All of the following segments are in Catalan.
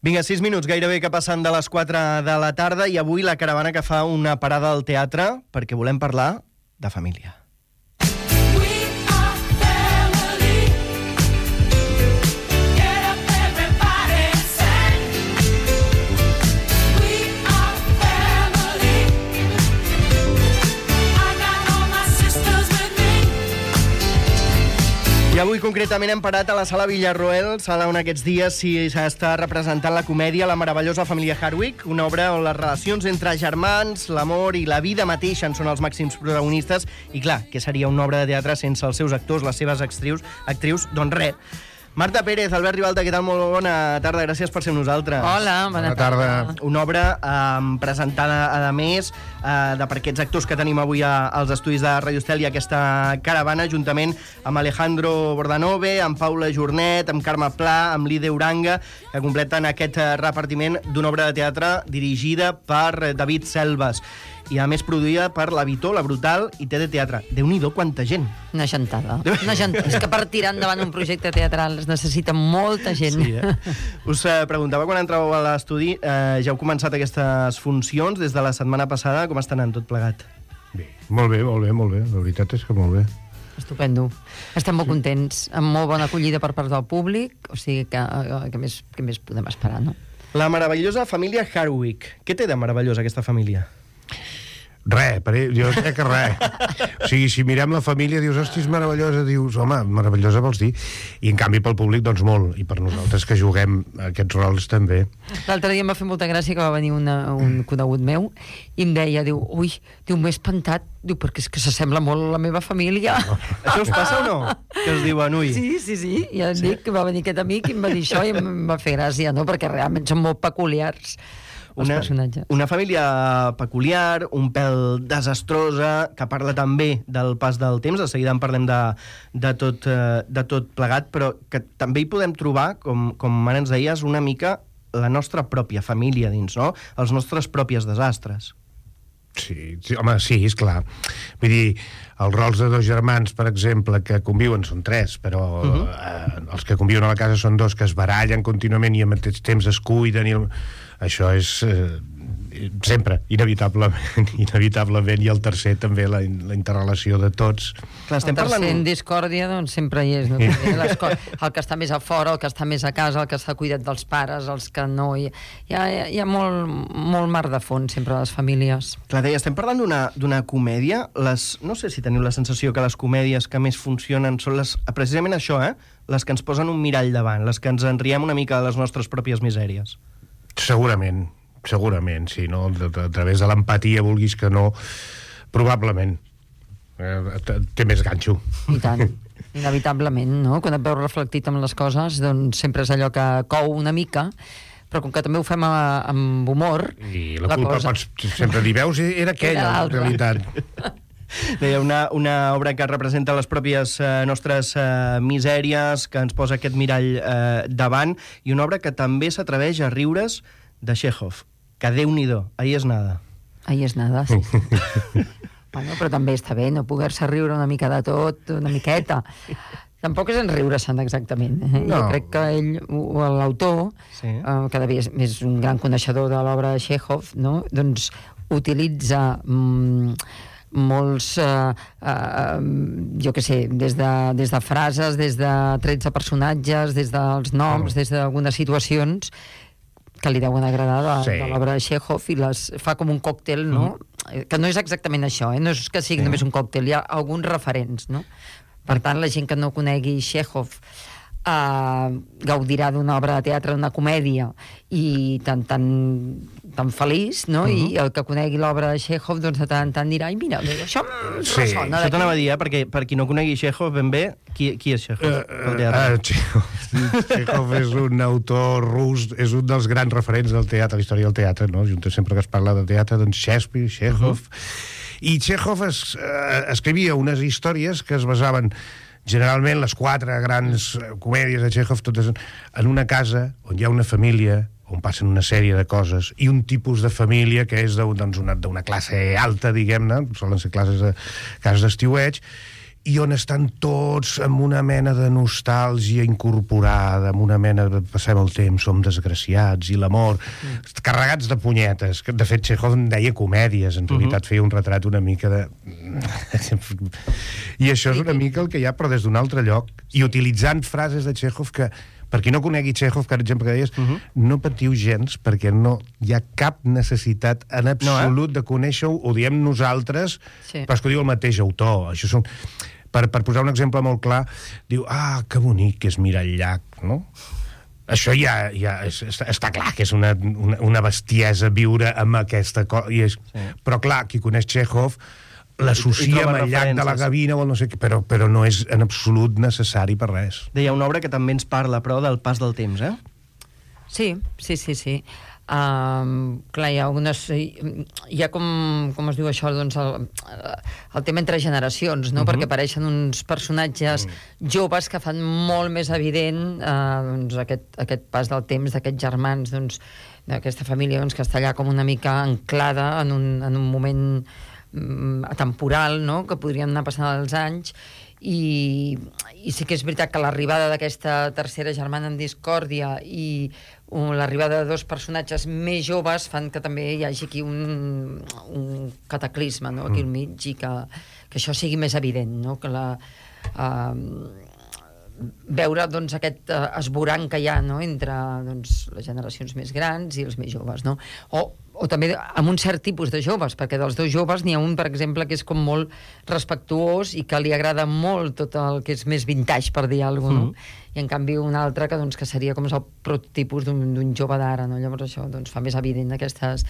Vinga, 6 minuts, gairebé que passen de les 4 de la tarda i avui la caravana que fa una parada al teatre perquè volem parlar de família. I avui concretament hem parat a la Sala Villarroel, sala on aquests dies s'està representant la comèdia La meravellosa família Hardwick, una obra on les relacions entre germans, l'amor i la vida mateixa en són els màxims protagonistes, i clar, què seria una obra de teatre sense els seus actors, les seves actrius? Doncs res. Marta Pérez, Albert Ribalta, què tal? Molt bona tarda, gràcies per ser amb nosaltres. Hola, bona tarda. Una obra presentada, a més, per aquests actors que tenim avui als estudis de Radio Estel i aquesta caravana, juntament amb Alejandro Bordanove, amb Paula Jornet, amb Carme Pla, amb Lide Uranga, que completen aquest repartiment d'una obra de teatre dirigida per David Selves i a més produïda per La Vitó, La Brutal i TD Teatre. Déu-n'hi-do, quanta gent. Una gentada. És que per tirar endavant un projecte teatral es necessita molta gent. Sí, Us preguntava quan entràveu a l'estudi, ja heu començat aquestes funcions des de la setmana passada, com està anant tot plegat? Bé, molt bé, la veritat és que molt bé. Estupendo. Estem molt contents, amb molt bona acollida per part del públic, o sigui que més podem esperar, no? La meravellosa família Hardwick. Què té de meravellosa aquesta família? Jo crec que res. O sigui, si mirem la família, dius, hosti, és meravellosa, dius, home, meravellosa vols dir, i en canvi pel públic, doncs molt, i per nosaltres que juguem aquests rols també. L'altre dia em va fer molta gràcia que va venir un conegut meu i em deia, ui, m'he espantat, perquè és que s'assembla molt a la meva família. Això us passa o no? Que us diuen, ui? Sí, ja et dic que va venir aquest amic i em va dir això i em va fer gràcia, no? Perquè realment són molt peculiars. Una família peculiar, un pèl desastrosa, que parla també del pas del temps, de seguida en parlem de tot plegat, però que també hi podem trobar, com ara ens deies, una mica la nostra pròpia família dins, no? Els nostres propis desastres. Sí, home, sí, és clar. Vull dir, els rols de dos germans, per exemple, que conviuen, són tres, però els que conviuen a la casa són dos que es barallen contínuament i al mateix temps es cuiden. Això és sempre, inevitablement, i el tercer també, la interrelació de tots. Clar, el tercer en discòrdia, doncs sempre hi és, no? El que està més a fora, el que està més a casa, el que està cuidat dels pares, els que no... Hi ha molt mar de fons sempre a les famílies. Clar, deia, estem parlant d'una comèdia. No sé si teniu la sensació que les comèdies que més funcionen són precisament això, les que ens posen un mirall davant, les que ens enriem una mica de les nostres pròpies misèries. Segurament, sí, no? A través de l'empatia, vulguis que no, probablement té més ganxo. I tant, inevitablement, no? Quan et veus reflectit amb les coses, doncs sempre és allò que cou una mica, però com que també ho fem amb humor... I la culpa pots sempre dir, veus, era aquella, en realitat. Deia, una obra que representa les pròpies nostres misèries, que ens posa aquest mirall davant, i una obra que també s'atreveix a riure's de Chekhov, que Déu-n'hi-do, ahí es nada. Ahí es nada, sí. Bueno, però també està bé, no poder-se riure una mica de tot, una miqueta. Tampoc és en riure-se'n exactament. No. Jo crec que ell, l'autor, que devia és un gran coneixedor de l'obra de Chekhov, no? Doncs utilitza... molts, jo què sé, des de frases, des de trets de personatges, des dels noms, des d'algunes situacions que li deuen agradar de l'obra de Chekhov, i les fa com un còctel, no? Que no és exactament això, no és que sigui només un còctel, hi ha alguns referents, no? Per tant, la gent que no conegui Chekhov gaudirà d'una obra de teatre, d'una comèdia, i tan feliç, no? I el que conegui l'obra de Chekhov, doncs de tant en tant dirà, ai, mira, això ressona. Això t'anava a dir, perquè per qui no conegui Chekhov ben bé, qui és Chekhov? Chekhov és un autor rus, és un dels grans referents del teatre, la història del teatre, no? Sempre que es parla de teatre, doncs Shakespeare, Chekhov... I Chekhov escrivia unes històries que es basaven generalment les 4 grans comèdies de Chekhov, totes en una casa on hi ha una família, on passen una sèrie de coses, i un tipus de família que és d'una classe alta, diguem-ne, solen ser cases d'estiueig, i on estan tots amb una mena de nostàlgia incorporada, amb una mena de passem el temps, som desgraciats, i l'amor, carregats de punyetes. De fet, Chekhov en deia comèdies, en realitat feia un retrat una mica de... I això és una mica el que hi ha, però des d'un altre lloc, i utilitzant frases de Chekhov que, per qui no conegui Chekhov, per exemple, que deies, no patiu gens, perquè no hi ha cap necessitat en absolut de conèixer-ho, ho diem nosaltres, però és que ho diu el mateix autor. Això són... Per posar un exemple molt clar, diu, que bonic que és mirar el llac, no? Això ja està clar que és una bestiesa viure amb aquesta cosa. Però clar, qui coneix Chekhov l'associa amb el llac de la Gavina o no sé què, però no és en absolut necessari per res. Deia una obra que també ens parla, però, del pas del temps, eh? Sí. Clar, hi ha algunes... Hi ha com es diu això, doncs, el tema entre generacions, no? Perquè apareixen uns personatges joves que fan molt més evident doncs, aquest pas del temps d'aquests germans, doncs, d'aquesta família doncs, que està allà com una mica anclada en un moment atemporal, no? Que podrien anar passant els anys, i sí que és veritat que l'arribada d'aquesta tercera germana en discòrdia i l'arribada de dos personatges més joves fan que també hi hagi aquí un cataclisme, no? Aquí al mig, i que això sigui més evident, no? Que veure doncs, aquest esborrany que hi ha, no? Entre doncs, les generacions més grans i els més joves, no? O també amb un cert tipus de joves, perquè dels dos joves n'hi ha un, per exemple, que és com molt respectuós i que li agrada molt tot el que és més vintage, per dir alguna cosa, no? I en canvi un altre que, doncs, que seria com el prototipus d'un jove d'ara, no? Llavors això doncs, fa més evident aquestes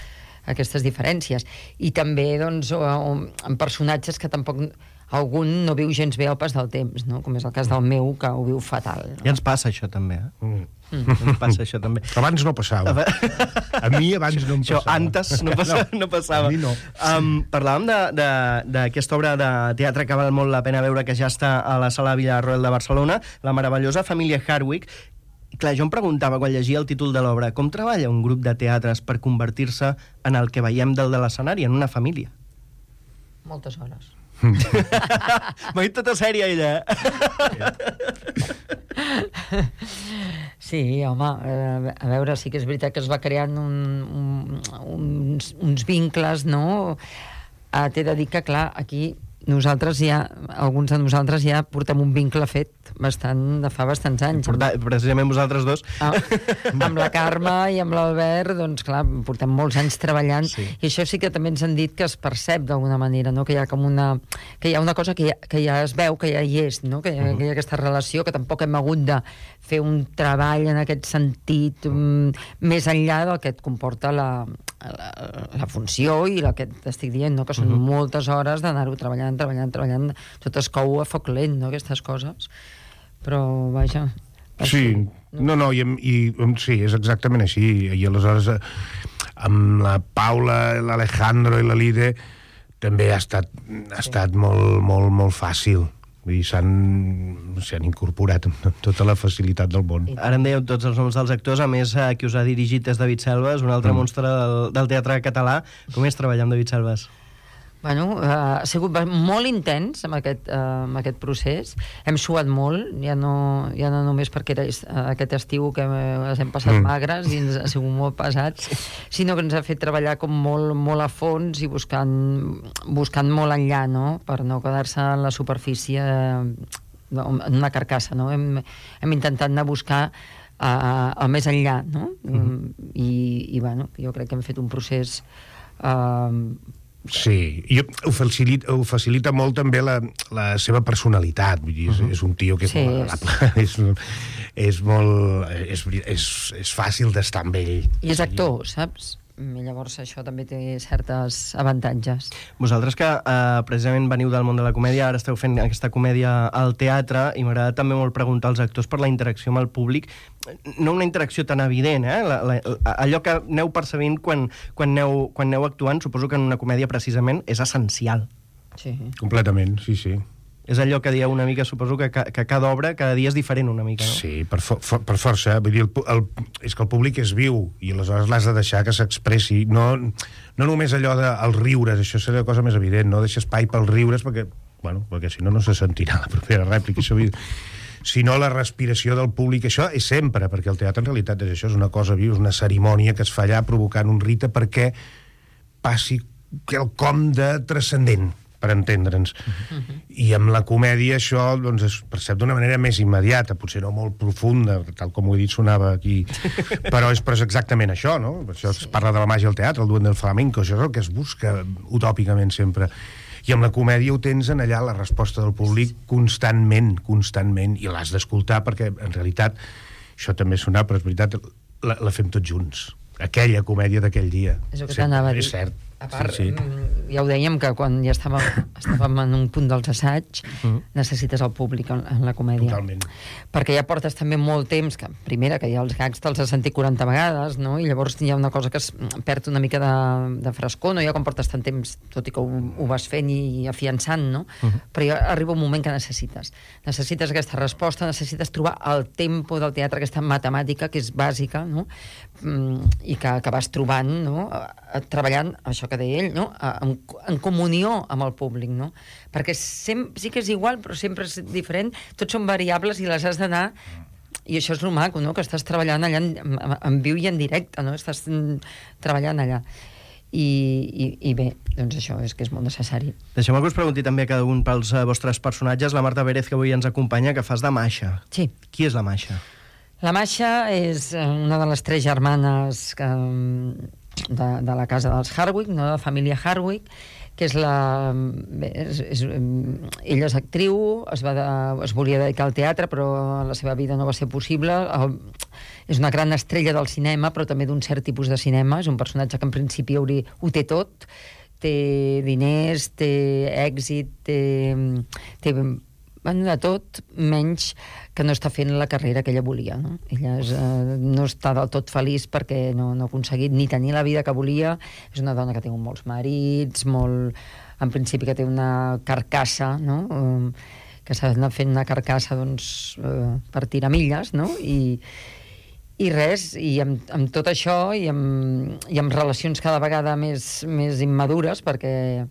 diferències. I també doncs, en personatges que tampoc algun no viu gens bé el pas del temps, no? Com és el cas del meu, que ho viu fatal, no? Ja ens passa això també, eh? Ens passa això també. Abans no passava. A mi abans no em passava. Això antes no passava. A mi no. Parlàvem d'aquesta obra de teatre que val molt la pena veure, que ja està a la Sala Villarroel de Barcelona, la meravellosa família Hardwick. Clar, jo em preguntava quan llegia el títol de l'obra, com treballa un grup de teatres per convertir-se en el que veiem del de l'escenari, en una família? Moltes hores. M'ha dit tota sèria, ella, eh? Sí, home, a veure, sí que és veritat que es va creant uns vincles, no? T'he de dir que, clar, aquí alguns de nosaltres ja portem un vincle fet de fa bastants anys. Precisament vosaltres dos. Amb la Carme i amb l'Albert, doncs clar, portem molts anys treballant, i això sí que també ens han dit que es percep d'alguna manera, no? Que hi ha com una cosa que ja es veu, que ja hi és, no? Que hi ha aquesta relació, que tampoc hem hagut de fer un treball en aquest sentit més enllà del que et comporta la funció i el que t'estic dient, no? Que són moltes hores d'anar-ho treballant, tot es cou a foc lent, no? Aquestes coses, però vaja. Sí, sí, és exactament així, i aleshores amb la Paula, l'Alejandro i la Lide també ha estat molt, molt, molt fàcil. Vull dir, s'han incorporat amb tota la facilitat del món. Ara em dèieu tots els noms dels actors, a més, qui us ha dirigit és David Selves, un altre monstre del teatre català. Com és treballar amb David Selves? Bueno, ha sigut molt intens amb aquest procés. Hem suat molt, ja no només perquè era aquest estiu que ens hem passat magres i ens ha sigut molt pesat, sinó que ens ha fet treballar com molt, molt a fons i buscant molt enllà, no? Per no quedar-se en la superfície en una carcassa, no? Hem intentat anar a buscar el més enllà, no? I bueno, jo crec que hem fet un procés sí, i ho facilita molt també la seva personalitat, vull dir, és un tio que és molt agradable, és fàcil d'estar amb ell. I és actor, saps? I llavors això també té certes avantatges. Vosaltres que precisament veniu del món de la comèdia, ara esteu fent aquesta comèdia al teatre, i m'agrada també molt preguntar als actors per la interacció amb el públic, no una interacció tan evident, allò que aneu percebint quan aneu actuant, suposo que en una comèdia precisament és essencial. Sí. Completament, sí. És allò que dieu una mica, suposo que cada obra, cada dia és diferent una mica, no? Sí, per força. Vull dir, és que el públic és viu i aleshores l'has de deixar que s'expressi. No només allò dels riures, això seria la cosa més evident, no? Deixa espai pels riures perquè bueno, perquè si no, no se sentirà la propera rèplica, això sinó la respiració del públic. Això és sempre, perquè el teatre en realitat és això, és una cosa viva, és una cerimònia que es fa allà provocant un rite perquè passi quelcom de transcendent, per entendre'ns. I amb la comèdia això doncs, es percep d'una manera més immediata, potser no molt profunda, tal com ho he dit sonava aquí, però és exactament això, no? Per això es parla de la màgia del teatre, el duende del flamenco, això és el que es busca utòpicament sempre. I amb la comèdia ho tens en allà, la resposta del públic constantment, i l'has d'escoltar perquè, en realitat, això també sonava, però és veritat, la fem tots junts. Aquella comèdia d'aquell dia. És el que t'anava a dir. És cert. A part, ja ho dèiem, que quan ja estàvem en un punt dels assaigs, necessites el públic en la comèdia. Totalment. Perquè ja portes també molt temps, que primera, que ja els gags te'ls has sentit 40 vegades, no? I llavors hi ha una cosa que es perd una mica de frescor, no? Ja quan portes tant temps, tot i que ho vas fent i afiançant, no? Però ja arriba un moment que necessites aquesta resposta, necessites trobar el tempo del teatre, aquesta matemàtica que és bàsica, no? I que vas trobant, no? Treballant, això que deia ell, no? En comunió amb el públic, no? Perquè sí que és igual, però sempre és diferent, tots són variables i les has d'anar, i això és el maco, no? Que estàs treballant allà en viu i en directe, no? Estàs treballant allà. I bé, doncs això és que és molt necessari. Deixeu-me que us pregunti també a cada un pels vostres personatges. La Marta Pérez, que avui ens acompanya, que fas de Masha. Sí. Qui és la Masha? La Masha és una de les 3 germanes de la casa dels Hardwicke, no? De la família Hardwicke, que és ella és actriu, es volia dedicar al teatre, però la seva vida no va ser possible. És una gran estrella del cinema, però també d'un cert tipus de cinema. És un personatge que en principi ho té tot. Té diners, té èxit, té de tot, menys que no està fent la carrera que ella volia, no? Ella no està del tot feliç perquè no ha aconseguit ni tenir la vida que volia. És una dona que té molts marits, en principi que té una carcassa, no? Que s'ha anat fent una carcassa, doncs, per tirar milles, no? I res, i amb tot això i amb relacions cada vegada més immadures, perquè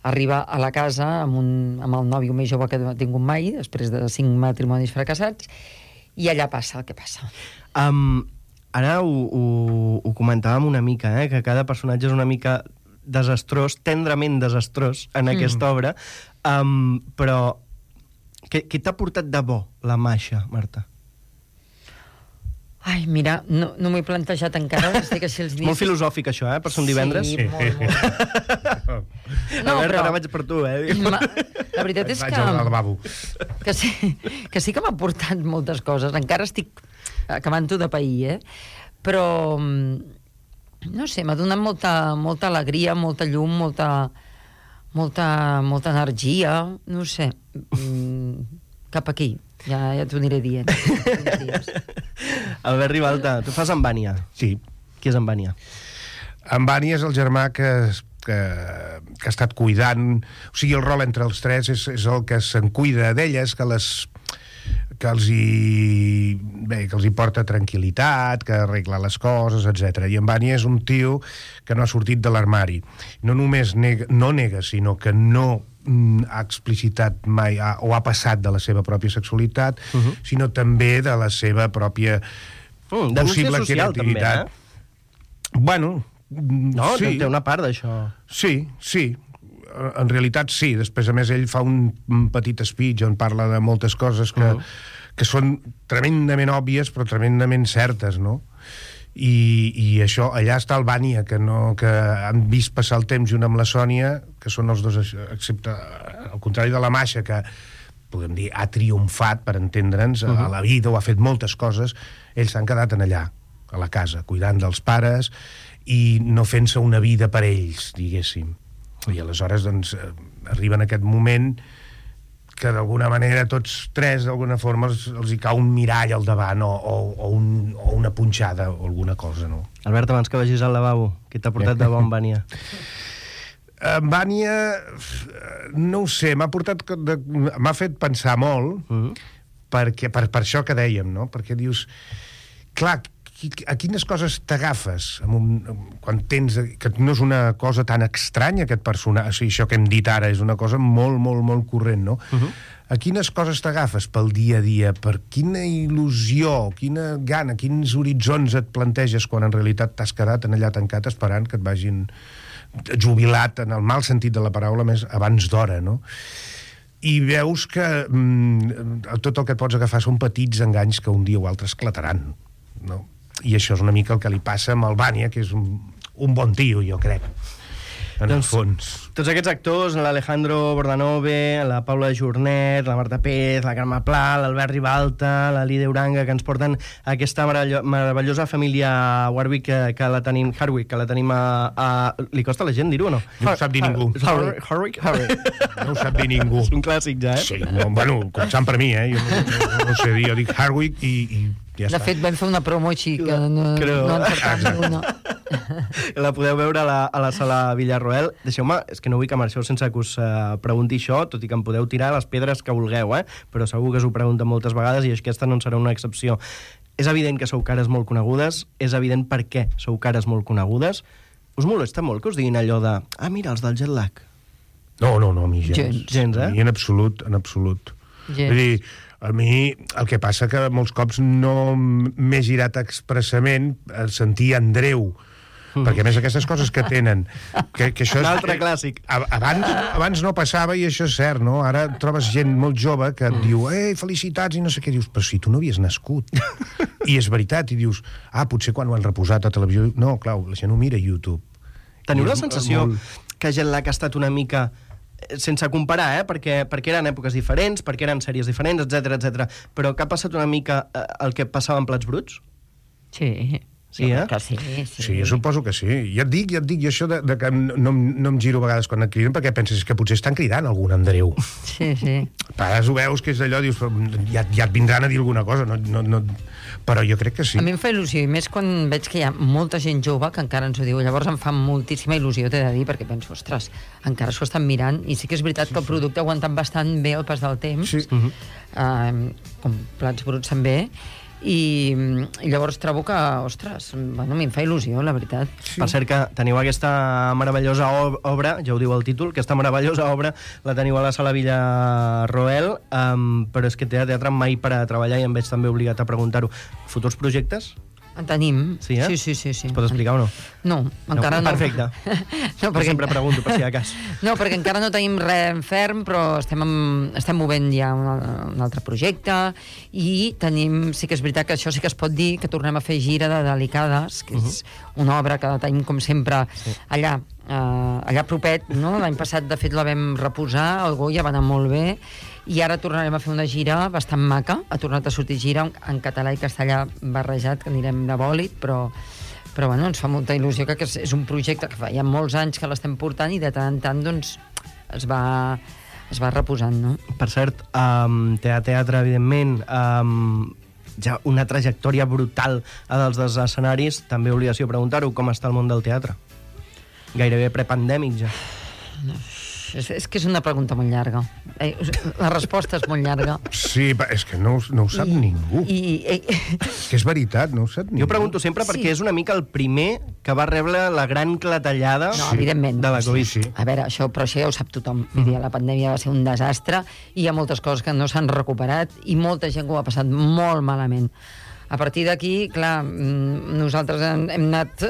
arriba a la casa amb el nòvio més jove que ha tingut mai, després de 5 matrimonis fracassats, i allà passa el que passa. Ara ho comentàvem una mica, que cada personatge és una mica desastrós, tendrament desastrós en aquesta obra, però què t'ha portat de bo la Masha, Marta? Ai, mira, no m'ho he plantejat encara. Molt filosòfic, això, per ser un divendres. Sí, molt. No, però... Ara vaig per tu, La veritat és que sí que m'ha portat moltes coses. Encara estic acabant-ho de pair, però, no sé, m'ha donat molta alegria, molta llum, molta energia, no sé, cap aquí. Ja t'ho aniré dient. Albert Ribalta, tu fas en Vània. Sí. Qui és en Vània? En Vània és el germà que ha estat cuidant... O sigui, el rol entre els 3 és el que se'n cuida d'elles, que els hi porta tranquil·litat, que arregla les coses, etc. I en Vània és un tio que no ha sortit de l'armari. No només no nega, sinó que no ha explicitat mai o ha passat de la seva pròpia sexualitat, sinó també de la seva pròpia possible creativitat. Bueno, no, sí. Té una part d'això. Sí. En realitat sí. Després, a més, ell fa un petit speech on parla de moltes coses que són tremendament òbvies però tremendament certes, no? I això, allà està el Vània, que han vist passar el temps junt amb la Sònia, que són els dos, excepte al contrari de la Masha, que podem dir ha triomfat, per entendre'ns, a la vida, o ha fet moltes coses. Ells s'han quedat en allà, a la casa, cuidant dels pares i no fent-se una vida per ells, diguéssim. I aleshores, doncs, arriba en aquest moment que d'alguna manera tots 3 d'alguna forma els hi cau un mirall al davant o una punxada o alguna cosa, no? Albert, abans que vagis al lavabo, què t'ha portat de bo en Vània? En Vània, no ho sé, m'ha fet pensar molt, perquè per això que dèiem, no? Perquè dius, clar, a quines coses t'agafes quan tens... que no és una cosa tan estranya, aquest personatge, o sigui, això que hem dit ara és una cosa molt, molt, molt corrent, no? A quines coses t'agafes pel dia a dia? Per quina il·lusió, quina gana, quins horitzons et planteges quan en realitat t'has quedat allà tancat esperant que et vagin jubilat, en el mal sentit de la paraula, més abans d'hora, no? I veus que tot el que et pots agafar són petits enganys que un dia o altre esclataran, no? I això és una mica el que li passa amb el Vania, que és un bon tio, jo crec, en el fons. Tots aquests actors, l'Alejandro Bordanove, la Paula Jornet, la Marta Pérez, la Carme Pla, l'Albert Ribalta, la Lídia Uranga, que ens porten aquesta meravellosa família Warwick, que la tenim, Harwick, que la tenim a... Li costa a la gent dir-ho o no? No ho sap dir ningú. Harwick? No ho sap dir ningú. És un clàssic ja, Sí, no, bueno, començant per mi, jo no sé dir, jo dic Harwick i ja està. De fet, vam fer una promo així, que no encertam una. La podeu veure a la sala Villarroel. Deixeu-me, és que no vull que marxeu sense que us pregunti això, tot i que em podeu tirar les pedres que vulgueu, però segur que us ho pregunten moltes vegades i aquesta no en serà una excepció. És evident que sou cares molt conegudes, és evident per què sou cares molt conegudes. Us molesta molt que us diguin allò de mira, els del jet lag? No, a mi gens. Gens, A mi en absolut. Vull dir, a mi el que passa que molts cops no m'he girat expressament a sentir Andreu, perquè a més aquestes coses que tenen que això un altre clàssic. Abans no passava, i això és cert, no? Ara trobes gent molt jove que et diu felicitats i no sé què, dius, però si tu no havies nascut. I és veritat, i dius, potser quan ho han reposat a televisió, no, clar, la gent ho mira a YouTube. Teniu la sensació que Jet Lag ha estat una mica, sense comparar, perquè eren èpoques diferents, perquè eren sèries diferents, etc, però que ha passat una mica el que passava en Plats Bruts? Sí. Sí, que sí. Sí, jo suposo que sí. Ja et dic, jo això de que no em giro a vegades quan et criden perquè penses que potser estan cridant algun Andreu. Sí. Pares ho veus que és allò, dius, ja et vindran a dir alguna cosa, no, però jo crec que sí. A mi em fa il·lusió, i més quan veig que hi ha molta gent jove que encara ens ho diu. Llavors em fa moltíssima il·lusió, t'he de dir, perquè penso, ostres, encara s'ho estan mirant, i sí que és veritat que el producte ha aguantat bastant bé el pas del temps, com Plats Bruts també, i llavors trobo que, ostres, a mi em fa il·lusió, la veritat. Sí. Per cert que teniu aquesta meravellosa obra, ja ho diu el títol, aquesta meravellosa obra la teniu a la sala Villarroel, però és que té teatre mai per a treballar i em veig també obligat a preguntar-ho. Futurs projectes? En tenim. Sí. Sí. Es pot explicar o no? No, encara no. Perfecte. No, perquè... Sempre pregunto, per si de cas. No, perquè encara no tenim res en ferm, però estem movent ja un altre projecte, i tenim, sí que és veritat que això sí que es pot dir, que tornem a fer gira de Delicades, que és una obra que tenim, com sempre, allà propet, no? L'any passat, de fet, la vam reposar, el Goya va anar molt bé, i ara tornarem a fer una gira bastant maca. Ha tornat a sortir gira en català i castellà barrejat, que anirem de bòlit, però bueno, ens fa molta il·lusió, que és un projecte que fa ja molts anys que l'estem portant i de tant en tant doncs es va reposant, no? Per cert, teatre, evidentment, ja una trajectòria brutal a dels escenaris, també obligació preguntar-ho, com està el món del teatre? Gairebé prepandèmic ja. És que és una pregunta molt llarga. La resposta és molt llarga. Sí, és que no ho sap ningú. Que és veritat, no ho sap ningú. Jo pregunto sempre perquè és una mica el primer que va rebre la gran clatellada de la Covid. Sí. A veure, això ja ho sap tothom. La pandèmia va ser un desastre i hi ha moltes coses que no s'han recuperat i molta gent que ho ha passat molt malament. A partir d'aquí, clar, nosaltres hem anat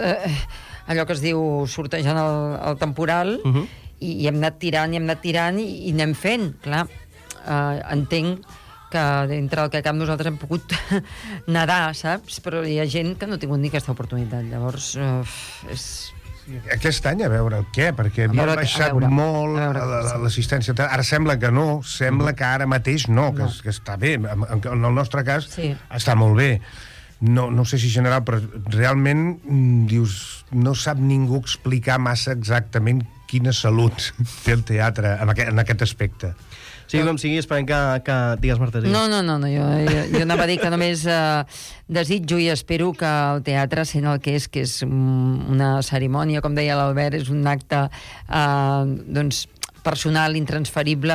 allò que es diu sortejant el temporal, i hem anat tirant i anem fent, clar. Entenc que dintre del que cap nosaltres hem pogut nedar, saps? Però hi ha gent que no ha tingut ni aquesta oportunitat. Llavors, és... Aquest any, a veure què, perquè no ha baixat molt l'assistència. Ara sembla que no, sembla que ara mateix no, que està bé. En el nostre cas està molt bé. No sé si general, però realment dius, no sap ningú explicar massa exactament quina salut té el teatre en aquest aspecte. Sí, com sigui, esperem que... Digues, Marta. No, jo anava a dir que només desitjo i espero que el teatre, sent el que és una cerimònia, com deia l'Albert, és un acte doncs personal intransferible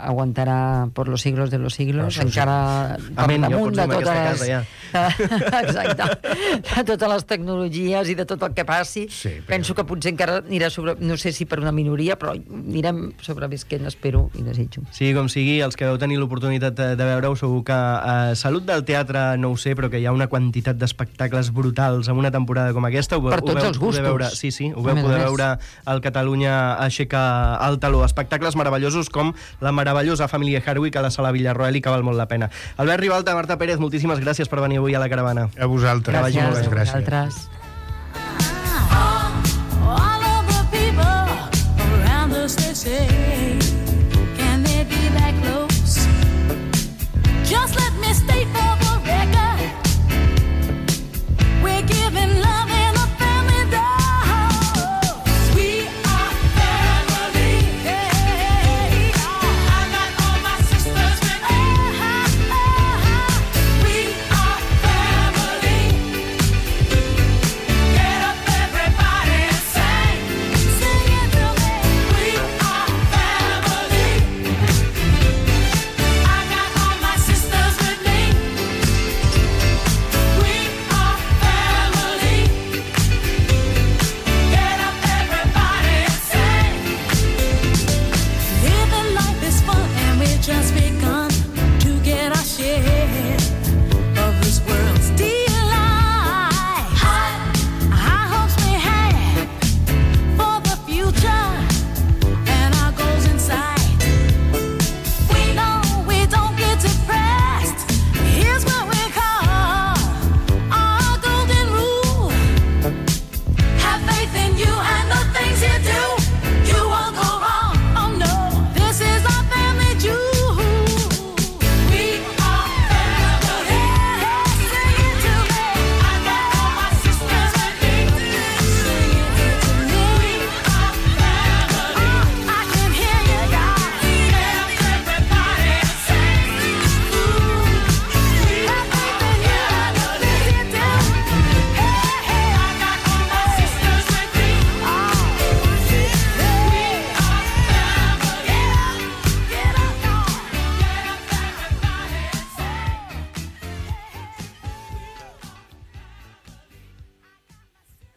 aguantarà per los siglos de los siglos, encara per damunt de totes exacte, de totes les tecnologies i de tot el que passi. Penso que potser encara anirà sobre, no sé si per una minoria, però anirem sobrevisquent, espero i desitjo. Sí, com sigui, els que vau tenir l'oportunitat de veure-ho, segur que Salut del Teatre no ho sé, però que hi ha una quantitat d'espectacles brutals en una temporada com aquesta. Per tots els gustos. Ho vau poder veure al Catalunya Aixeca el taló. Espectacles meravellosos com la meravellosa família Hardwick a la Sala Villarroel i que val molt la pena. Albert Ribalta, Marta Pérez, moltíssimes gràcies per venir avui a la caravana. A vosaltres. Gràcies.